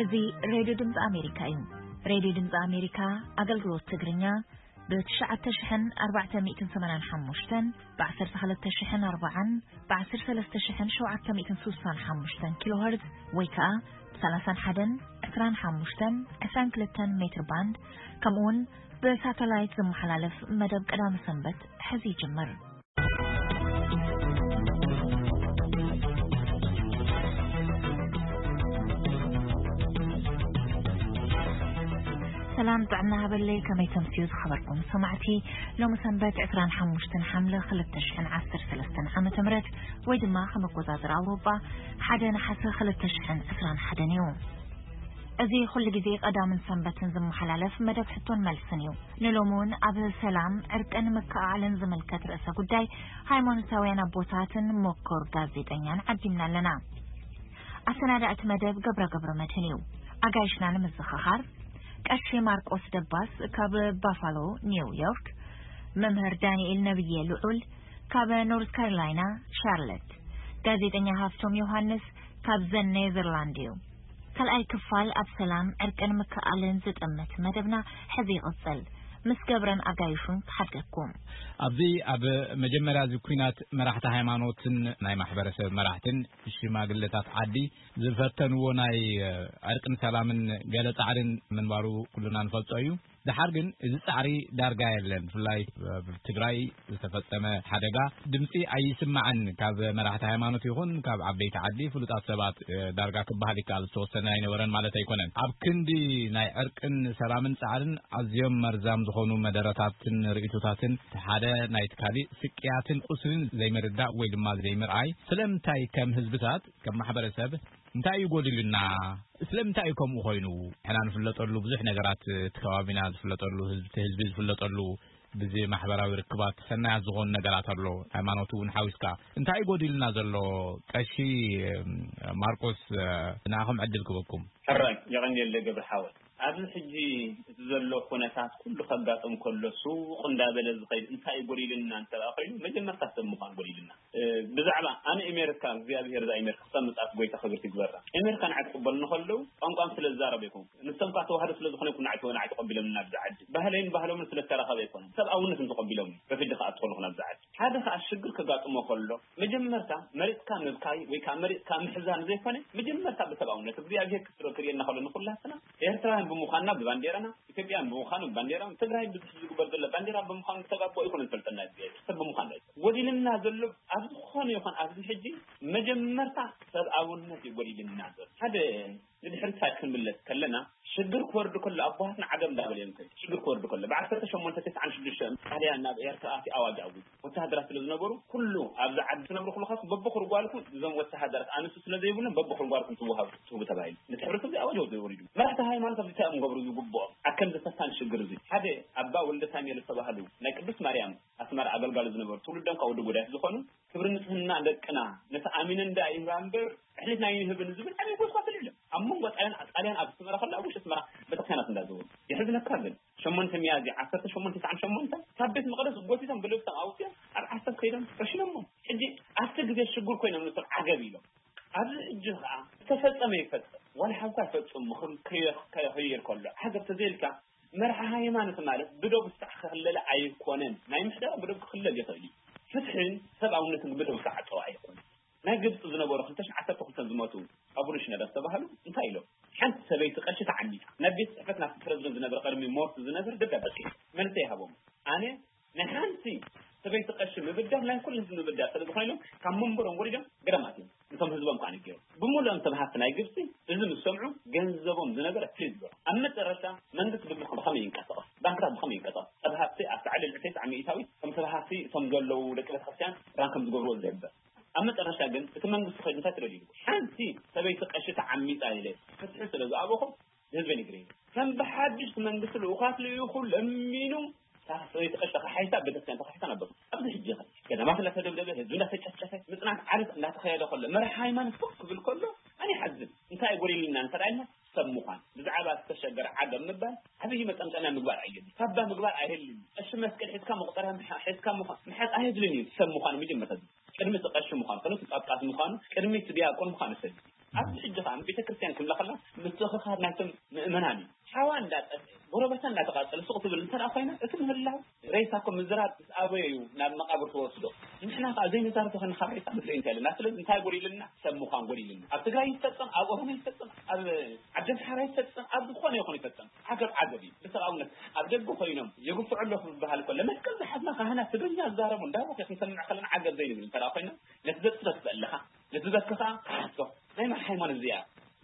እዚ ሬድዮ ድምፂ ኣሜሪካ እዩ። ሬድዮ ድምፂ ኣሜሪካ ኣገልግሎት ትግርኛ ብ ትሽዓተ ሽሕን ኣርባዕተ ሚእትን ሰማንያን ሓሙሽተን፣ ብ ዓሰርተ ክልተ ሽሕን ኣርባዓን፣ ብ ዓሰርተ ሰለስተ ሽሕን ሸውዓተ ሚእትን ስሳን ሓሙሽተን ኪሎ ሄርዝ ወይ ከዓ ብ ሰላሳን ሓደን፣ ዕስራን ሓሙሽተን፣ ዕስራን ክልተን ሜትር ባንድ፣ ከምኡ እውን ብሳተላይት ዝመሓላለፍ መደብ ቀዳመ ሰንበት ሕዚ ይጅምር። ሰላም ጥዕና ሃበለይ፣ ከመይ ተምስዩ ዝኸበርኩም ሰማዕቲ? ሎሚ ሰንበት ዕስራን ሓሙሽተን ሓምለ ክልተ ሽሕን ዓሰርተ ሰለስተን ዓመተ ምህረት ወይ ድማ ከም ኣቆጻጽራ ኣውሮጳ ሓደ ነሓሰ ክልተ ሽሕን ዕስራን ሓደን እዩ። እዚ ኩሉ ግዜ ቀዳምን ሰንበትን ዝመሓላለፍ መደብ ሕቶን መልስን እዩ። ንሎሚ እውን ኣብ ሰላም፣ ዕርቅን ምክእኣልን ዝምልከት ርእሰ ጉዳይ ሃይማኖታውያን ኣቦታትን መኮር ጋዜጠኛን ዓዲምና ኣለና። ኣሰናዳእቲ መደብ ገብረ ገብረ መድህን እዩ። ኣጋይሽና ንምዝኽኻር፣ ቀሺ ማርቆስ ደባስ ካብ ባፋሎ ኒው ዮርክ፣ መምህር ዳንኤል ነብየ ልዑል ካብ ኖርዝ ካሮላይና ሻርለት፣ ጋዜጠኛ ሃፍቶም ዮሃንስ ካብ ዘን ኔዘርላንድ እዩ። ካልኣይ ክፋል ኣብ ሰላም፣ ዕርቅን ምክእኣልን ዝጥምት መደብና ሕዚ ይቕጽል። ምስ ገብረን ኣጋይሹን ክሓድገኩም። ኣብዚ ኣብ መጀመርያ እዚ ኲናት መራሕቲ ሃይማኖትን ናይ ማሕበረሰብ መራሕትን ሽማግለታት ዓዲ ዝፈተንዎ ናይ ዕርቅን ሰላምን ገለ ጻዕርን ምንባሩ ኩልና ንፈልጦ እዩ። ደሓር ግን እዚ ጻዕሪ ዳርጋ የለን። ብፍላይ ኣብ ትግራይ ዝተፈጸመ ሓደጋ ድምጺ ኣይስማዕን። ካብ መራሕቲ ሃይማኖት ይኹን ካብ ዓበይቲ ዓዲ ፍሉጣት ሰባት፣ እ፣ ዳርጋ ክበሃል ይከኣል፣ ዝተወሰነ ኣይነበረን ማለት ኣይኮነን። ኣብ ክንዲ ናይ ዕርቅን ሰላምን ጻዕርን ኣዝዮም መርዛም ዝኾኑ መደረታትን ርእይቶታትን፣ እቲ ሓደ ናይቲ ካሊእ ስቅያትን ቁስልን ዘይምርዳእ ወይ ድማ ዘይምርኣይ፣ ስለምንታይ ከም ህዝብታት፣ ከም ማሕበረሰብ እንታይ እዩ ጎዲሉና? ስለምንታይ እዩ ከምኡ ኮይኑ? ንሕና ንፍለጠሉ ብዙሕ ነገራት፣ እቲ ከባቢና ዝፍለጠሉ፣ ህዝቢ፣ እቲ ህዝቢ ዝፍለጠሉ፣ ብዚ ማሕበራዊ ርክባት ሰናያት ዝኾኑ ነገራት ኣሎ፣ ሃይማኖት እውን ሓዊስካ። እንታይ እዩ ጎዲሉና ዘሎ? ቀሺ፣ እም፣ ማርቆስ፣ እ፣ ንኣኹም ዕድል ክበኩም። ሕራይ፣ የቐንየለይ ገብረ ሓወይ። ኣብዚ ሕጂ እቲ ዘሎ ኩነታት ኩሉ ከጋጥም ከሎ፣ ስውቕ እንዳበለ ዝኸይድ እንታይ እዩ ጎዲሉና እንተ ደኣ ኮይኑ፣ መጀመርታ ሰብ ምዃን ጎዲሉና። እ፣ ብዛዕባ ኣነ ኣሜሪካ፣ እግዚኣብሄር እዛ ኣሜሪካ ክተምጻት ጎይታ ክብርቲ ይግበራ። ኣሜሪካ ንዓይ ክቕበሉኒ ከለዉ፣ ቋንቋም ስለ ዝዛረብ ኣይኮንኩ። ንሶም ከኣ ተዋህዶ ስለ ዝኾነ ይኩን ንዓይ ተወ-፣ ንዓይ ተቐቢሎምኒ ናብዚ ዓዲ። ባህለይን ባህሎምን ስለ ዝተራኸበ ኣይኮነን። ሰብኣውነት እንተቐቢሎምኒ፣ ረፊጂ ከኣ ትኸሉ ናብዚ ዓዲ። ሓደ ከኣ ሽግር ከጋጥሞ ከሎ፣ መጀመርታ መሪጽካ ምብካይ ወይ ከኣ መሪጽካ ምሕዛን ዘይኮነ፣ መጀመርታ ብሰብኣውነት እግዚኣብሄር ክስሮ ክርእየና ከሎ ንኹላትና ኤርትራውያን ብምዃንና ብባንዴራና፣ ኢትዮጵያን ብምዃኑ ባንዴራ ትግራይ ብዙሕ ዝግበር ዘሎ ባንዴራ ብምዃኑ ተጋቦ ይኹን እንፈልጠና ይገ-፣ ሰብ ብምዃኑ እዩ። ጎዲልና ዘሎ ኣብ ዝኾነ ይኹን ኣብዚ ሕጂ መጀመርታ ሰብኣውነት እዩ ጎዲልና ዘሎ። ሓደ ንድሕሪት ሳይድ ክንምለስ ከለና ሽግር ክወርድ ከሎ ኣቦሃትና ዓገብ እንዳበለ እዮም ከይዱ። ሽግር ክወርድ ከሎ ብዓሰርተ ሸሞንተ ተስዓን ሽዱሽተ ጣልያን ናብ ኤርትራ ኣትዩ ኣዋጅ ኣዊጁ። ወተሃደራት ስለ ዝነበሩ ኩሉ ኣብዚ ዓዲ ትነብሩ ኩልኻስ በብኹር ጓልኩም እዞም ወተሃደራት ኣንስቲ ስለ ዘይብሎም በብኹር ጓልኩም ትወሃቡ ትህቡ ተባሂሉ። ነቲ ሕብረተሰብ እዚ ኣዋጅ ወሪዱ። መራሕቲ ሃይማኖት ኣብዚ እንታይ እዮም ገብሩ ዝግብኦም? ኣብ ከምዚ ፈታኒ ሽግር እዚ ሓደ ኣባ ወልደ ሳሙኤል ዝተባህሉ ናይ ቅድስት ማርያም ኣስመራ ኣገልጋሊ ዝነበሩ ትውልዶም ካብ ወዲ ጉዳይፍ ዝኾኑ ክብሪ ንጽህና ደቅና ነቲ ኣሚነን ደኣ ይህባ እምበር ኣሕሊፍና ኣይንህብን ዝብል ዓብዪ ጎስጓስ ኣልዒሎም። ኣብ መንጎ ጣልያን ጣልያን ኣብ ኣስመራ ከሎ ኣብ ውሽጢ ኣስመራ ቤተክርስትያናት እንዳዘወሩ የሕዝነካ ግን ሸሞንተ ሚያዝያ ዓሰርተ ሸሞንተ ተስዓን ሸሞንተ ካብ ቤት መቕደስ ጎቲቶም ብልብሶም ኣውፅኦም ኣብ ዓሰብ ከይዶም ረሽኖሞ። ሕጂ ኣብቲ ግዜ ሽጉር ኮይኖም ንሶም ዓገብ ኢሎም። ኣብዚ ሕጂ ከዓ ዝተፈጸመ ይፈጸም ዋላ ሓንኳ ይፈጽም ምኽም ከየ-፣ ከየኸይር ከሎ ዓገብ ተዘይልካ መርሓ ሃይማኖት ማለት ብደቡ ስራሕ ክኽለለ ኣይኮነን። ናይ ምሕደራ ብደቡ ክኽለል ይኽእል እዩ። ፍትሕን ሰብኣውነትን ብደቡ ክዓጸዋ ኣይኮነን። ናይ ግብፂ ዝነበሩ ክልተ ሽሕን ዓሰርተ ክልተን ዝሞቱ ኣቡነ ሽኖዳ ዝተባህሉ እንታይ ኢሎም? ሓንቲ ሰበይቲ ቀሺ ተዓሚፃ ናብ ቤት ፅሕፈት ናብቲ ፕረዚደንት ዝነበረ ቀድሚ ሞርት ዝነብር ደብዳቤ ፅሒፎም። መልሰ ይሃቦም። ኣነ ናይ ሓንቲ ሰበይቲ ቀሺ ምብዳል ናይ ኩሉ ህዝቢ ምብዳል ስለ ዝኾነ ኢሎም ካብ መንበሮም ወሪዶም ገዳማት እዮም። ነቶም ህዝቦም ከዓ ነጊሮም። ብምሉኦም ሰብ ሃፍቲ ናይ ግብፂ እዚ ምስ ሰምዑ ገንዘቦም ዝነበረ ፍሪዝ ገይሮም። ኣብ መጨረሻ መንግስቲ ብብኸ-፣ ብኸመይ ይንቀሳቐስ? ባንክታት ብኸመይ ይንቀሳቐስ? ሰብ ሃፍቲ ኣብቲ ዓሊ ልዕሊ ተስዓ ሚእታዊት ከም ሰብ ሃፍቲ እቶም ዘለዉ ደቂ ቤተክርስትያን ራን ከም ዝገብርዎ ዝሕበር። ኣብ መጨረሻ ግን እቲ መንግስቲ ኸይዱ እንታይ ትደልዩ? ሓንቲ ሰበይቲ ቀሺ ተዓሚፃ ኢለ ፍትሒ ስለ ዝኣበኹ ንህዝበይ ነጊረ። ከም ብሓድሽ እቲ መንግስቲ ልኡኻት ልኢኹ ለሚኑ እታ ሰበይቲ ቀሺ ተኻሒሳ ቤተክርስትያን ተኻሒሳ ነበሩ። ኣብዚ ሕጂ ኸ ገዳማት እናተደብደበ ህዝቢ እናተጨፍጨፈ ምፅናት ዓለት እናተኸየደ ከሎ መራሒ ሃይማኖት ኮፍ ክብል ከሎ ኣነ ይሓዝን። እንታይ ጎዲልና እንተ ደኣ ኢልና ሰብ ምዃን ብዛዕባ ዝተሸገረ ዓገብ ምባል ዓብዪ መጠምጠምያ ምግባር ኣየድልን። ካባ ምግባር ኣየድልን። ቀሺ መስቀል ሒዝካ መቑፀርያ ምሓ-፣ ሒዝካ ምዃን ምሓዝ ኣየድልን እዩ። ሰብ ምዃን መጀመርታ ቅድሚ እቲ ቀሺ ምዃኑ፣ ቅድሚ እቲ ጳጳስ ምዃኑ፣ ቅድሚ እቲ ዲያቆን ምዃኑ ሰብ እዩ። ኣብዚ ሕጂ ከዓ ቤተክርስትያን ክብላ ከላ ምትእኽኻብ ናይቶም ምእመናን እዩ። ሓዋ እንዳጠፍአ ጎረቤታ እንዳተቃጸለ ሱቕ ትብል እንተ ደኣ ኮይና፣ እቲ ምህላው ሬሳ እኮ ምዝራብ ምስ ኣበዮ እዩ ናብ መቃብር ትወስዶ። ንሕና ከዓ ዘይንዛረብ ተኾይና ካብ ሬሳ ንርኢ እንታይ ኣለና። ስለዚ እንታይ ጎዲልና? ሰብ ምዃን ጎዲልና። ኣብ ትግራይ ይፈጸም፣ ኣብ ኦሮሞ ይፈጸም፣ ኣብ ዓዲ ኣምሓራ ይፈጸም፣ ኣብ ዝኾነ ይኹን ይፈጸም፣ ዓገብ ዓገብ እዩ። ብሰብኣውነት ኣብ ደገ ኮይኖም የግፍዑ ኣለኹ ዝበሃል ከሎ መስቀል ዝሓዝና ካህናት ትግርኛ ዝዛረቡ እንዳቦ ክንሰምዕ ከለና ዓገብ ዘይንብል እንተ ደኣ ኮይና፣ ነቲ ዘጽፈፍ ዘለኻ ነቲ ዘከኻ ትሓቶ ናይ መን ሃይማኖት እዚኣ?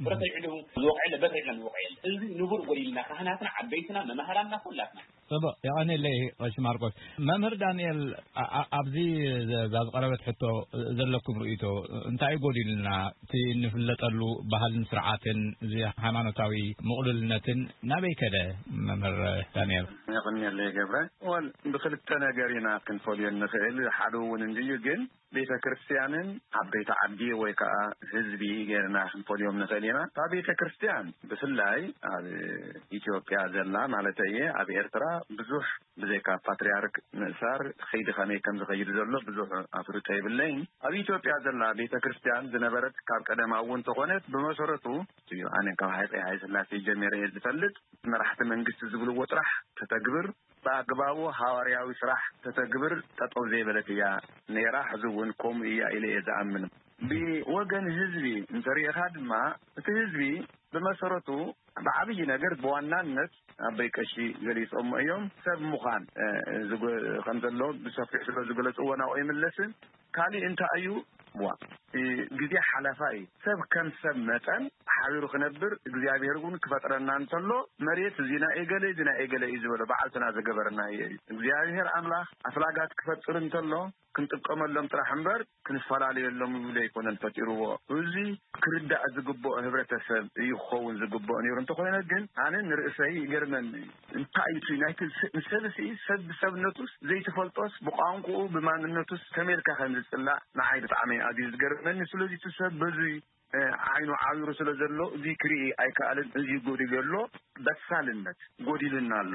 ብረት ኣይዕድሙ ዝወቕዐ የለ፣ በትሪ ኢልና ንወቕዐ የለ። እዚ ንቡር ጎዲልና፣ ካህናትና፣ ዓበይትና፣ መማህራንና፣ ኩላትና። ጽቡቕ፣ የቐንየለይ ቀሺ ማርቆስ። መምህር ዳንኤል፣ ኣ-፣ ኣ-፣ ኣብዚ ዘ-፣ እዛ ዝቐረበት ሕቶ ዘለኩም ርእይቶ እንታይ ጎዲሉና? እቲ እንፍለጠሉ ባህልን ስርዓትን፣ እዚ ሃይማኖታዊ ምቕሉልነትን ናበይ ከደ? መምህር ዳንኤል። የቐንየለይ ገብረ። ወል፣ ብክልተ ነገር ኢና ክንፈልዮ እንኽእል። ሓደ እውን እንድዩ፣ ግን ቤተ ክርስቲያንን ዓበይቲ ዓዲ ወይ ከዓ ህዝቢ ጌርና ክንፈልዮም ንኽእል ኢና። እታ ቤተ ክርስቲያን ብፍላይ ኣብ ኢትዮጵያ ዘላ ማለት እየ፣ ኣብ ኤርትራ ብዙሕ ብዘይካ ፓትርያርክ ምእሳር ኸይዲ ከመይ ከም ዝኸይድ ዘሎ ብዙሕ ኣፍልጦ የብለይን። ኣብ ኢትዮጵያ ዘላ ቤተ ክርስቲያን ዝነበረት ካብ ቀደማ እውን ተኾነት ብመሰረቱ እዩ። ኣነ ካብ ሃፀይ ሃይለ ስላሴ ጀሚረ እየ ዝፈልጥ። መራሕቲ መንግስቲ ዝብልዎ ጥራሕ ተተግብር፣ ብኣግባቡ ሃዋርያዊ ስራሕ ተተግብር ጠጠው ዘይበለት እያ ነይራ፣ ሕዚ እውን ከምኡ እያ ኢለ እየ ዝኣምን። ብወገን ህዝቢ እንተሪእኻ ድማ፣ እቲ ህዝቢ ብመሰረቱ ብዓብዪ ነገር ብዋናነት ኣቦይ ቀሺ ገሊጾሞ እዮም። ሰብ ምዃን፣ እ፣ ዝጎ-፣ ከም ዘሎ ብሰፊሑ ስለ ዝገለጽዎ ናብኡ ይምለስን። ካሊእ እንታይ እዩ? ዋ፣ እ፣ ግዜ ሓላፋ እዩ። ሰብ ከም ሰብ መጠን ሓቢሩ ክነብር እግዚኣብሔር እውን ክፈጥረና እንተሎ መሬት እዚ ናይ እገለ፣ እዚ ናይ እገለ እዩ ዝበሎ በዓልትና ዝገበረና እዩ። እግዚኣብሔር ኣምላኽ ኣፍላጋት ክፈጥር እንተሎ ክንጥቀመሎም ጥራሕ እምበር ክንፈላለየሎም ይብሉ ኣይኮነን ፈጢርዎ። እዚ ክርዳእ ዝግብኦ ህብረተሰብ እዩ ክኸውን ዝግብኦ ነይሩ። እንተኾይነ ግን ኣነ ንርእሰይ ይገርመኒ እዩ። እንታይ እዩ እቲ ናይቲ ስ-፣ ንሰብሲ ሰብ ብሰብነቱስ ዘይትፈልጦስ ብቋንቋኡ ብማንነቱስ ከመይ ኢልካ ከም ዝጽላእ ንዓይ ብጣዕሚ ኣዝዩ ዝገርመኒ። ስለዚ እቲ ሰብ በዚ፣ እ፣ ዓይኑ ዓቢሩ ስለ ዘሎ እዚ ክርኢ ኣይከኣልን። እዚ ጎዲሉ ኣሎ፣ በሳልነት ጎዲሉና ኣሎ።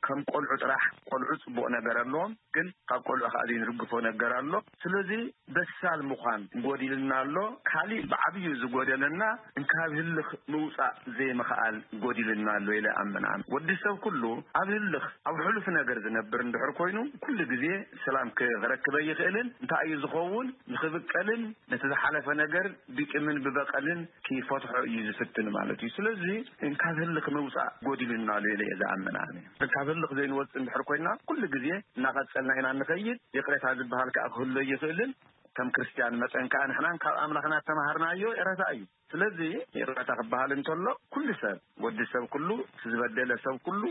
ከም ቆልዑ ጥራሕ፣ ቆልዑ ጽቡቕ ነገር ኣለዎም፣ ግን ካብ ቆልዑ ከኣ ዘይንርግፎ ነገር ኣሎ። ስለዚ በሳል ምዃን ጎዲልና ኣሎ። ካሊእ ብዓብዩ ዝጎደለና እንካብ ህልኽ ምውጻእ ዘይምኽኣል ጎዲልና ኣሎ ኢለ ኣምን። ኣነ ወዲ ሰብ ኩሉ ኣብ ህልኽ፣ ኣብ ሕሉፍ ነገር ዝነብር እንድሕር ኮይኑ፣ ኩሉ ግዜ ሰላም ክረክብ ኣይኽእልን። እንታይ እዩ ዝኸውን? ንኽብቀልን ነቲ ዝሓለፈ ነገር ብቂምን ብበቐልን ክፈትሖ እዩ ዝፍትን ማለት እዩ። ስለዚ እንካብ ህልኽ ምውጻእ ጎዲልና ኣሎ ኢለ እየ ዝኣምን ኣነ። እንካብ ህልኽ ዘይንወጽእ እንድሕር ኮይና፣ ኩሉ ግዜ እናቐጸልና ኢና እንኸይድ። ይቕሬታ ዝበሃል ከኣ ክህሎ ይኽእልን፣ ከም ክርስትያን መጠን ከኣ ንሕናን ካብ ኣምላኽና እተማሃርናዮ ይቕሬታ እዩ። ስለዚ ይቕሬታ ክበሃል እንተሎ፣ ኩሉ ሰብ፣ ወዲ ሰብ ኩሉ፣ እቲ ዝበደለ ሰብ ኩሉ፣